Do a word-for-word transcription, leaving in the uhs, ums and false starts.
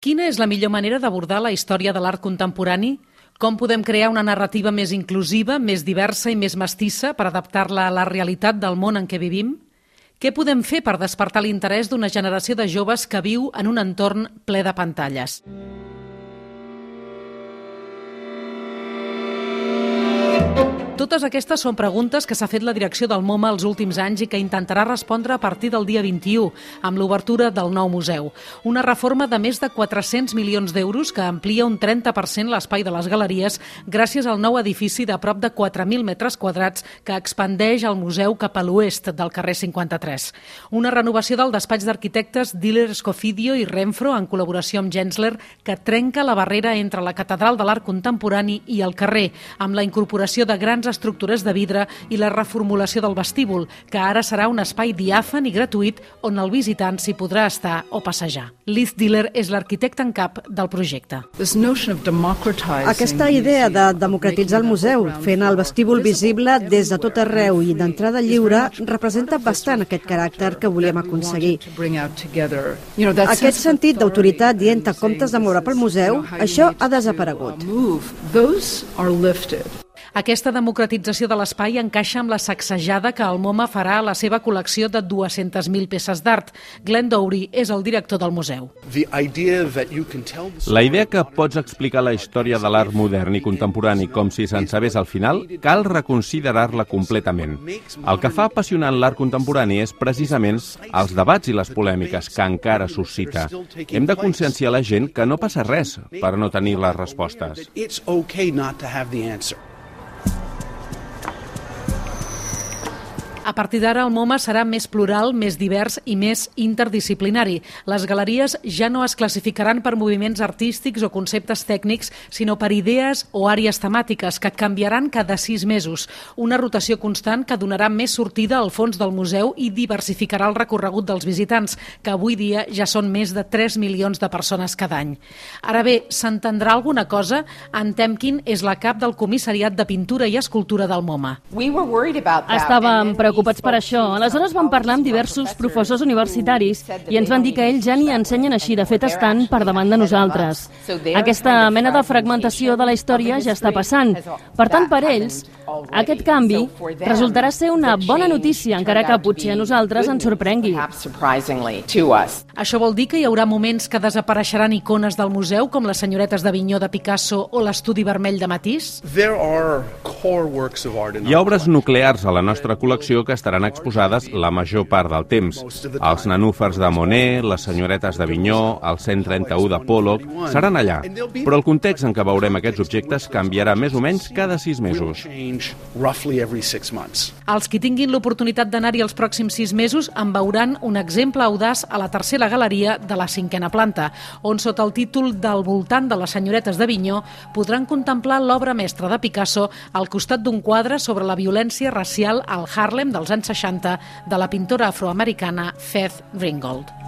Quina és la millor manera d'abordar la història de l'art contemporani? Com podem crear una narrativa més inclusiva, més diversa i més mestissa per adaptar-la a la realitat del món en què vivim? Què podem fer per despertar l'interès d'una generació de joves que viu en un entorn ple de pantalles? Totes aquestes són preguntes que s'ha fet la direcció del MoMA els últims anys i que intentarà respondre a partir del dia vint-i-u, amb l'obertura del nou museu. Una reforma de més de quatre-cents milions d'euros que amplia un trenta per cent l'espai de les galeries gràcies al nou edifici de prop de quatre mil metres quadrats que expandeix el museu cap a l'oest del carrer cinquanta-tres. Una renovació del despatx d'arquitectes Diller Scofidio i Renfro en col·laboració amb Gensler que trenca la barrera entre la Catedral de l'Art Contemporani i el carrer, amb la incorporació de grans estructures de vidre i la reformulació del vestíbul, que ara serà un espai diàfan i gratuït on el visitant s'hi podrà estar o passejar. Liz Diller és l'arquitecte en cap del projecte. Aquesta idea de democratitzar el museu, fent el vestíbul visible des de tot arreu i d'entrada lliure, representa bastant aquest caràcter que volíem aconseguir. Aquest sentit d'autoritat dient que comptes de moure pel museu, això ha desaparegut. Aquesta democratització de l'espai encaixa amb la sacsejada que el MoMA farà a la seva col·lecció de dues-centes mil peces d'art. Glenn Dowry és el director del museu. La idea que pots explicar la història de l'art modern i contemporani com si se'n sabés al final, cal reconsiderar-la completament. El que fa apassionant l'art contemporani és precisament els debats i les polèmiques que encara suscita. Hem de conscienciar la gent que no passa res per no tenir les respostes. A partir d'ara, el MoMA serà més plural, més divers i més interdisciplinari. Les galeries ja no es classificaran per moviments artístics o conceptes tècnics, sinó per idees o àrees temàtiques que canviaran cada sis mesos. Una rotació constant que donarà més sortida al fons del museu i diversificarà el recorregut dels visitants, que avui dia ja són més de tres milions de persones cada any. Ara bé, s'entendrà alguna cosa? Ann Temkin és la cap del Comissariat de Pintura i Escultura del MoMA. Estàvem preocupats per això. Aleshores vam parlar amb diversos professors universitaris i ens van dir que ells ja ni ensenyen així, de fet estan per davant de nosaltres. Aquesta mena de fragmentació de la història ja està passant. Per tant, per ells, aquest canvi resultarà ser una bona notícia, encara que potser a nosaltres ens sorprengui. Això vol dir que hi haurà moments que desapareixeran icones del museu, com les senyoretes d'Avinyó de Picasso o l'Estudi Vermell de Matisse? Hi ha obres nuclears a la nostra col·lecció que estaran exposades la major part del temps. Els nenúfars de Monet, les senyoretes d'Avinyó, el cent trenta-u de Pollock, seran allà. Però el context en què veurem aquests objectes canviarà més o menys cada sis mesos. Els qui tinguin l'oportunitat d'anar-hi els pròxims sis mesos en veuran un exemple audaç a la tercera galeria de la cinquena planta, on sota el títol Del voltant de les senyoretes d'Avinyó podran contemplar l'obra mestra de Picasso al costat d'un quadre sobre la violència racial al Harlem dels anys seixanta de la pintora afroamericana Faith Ringgold.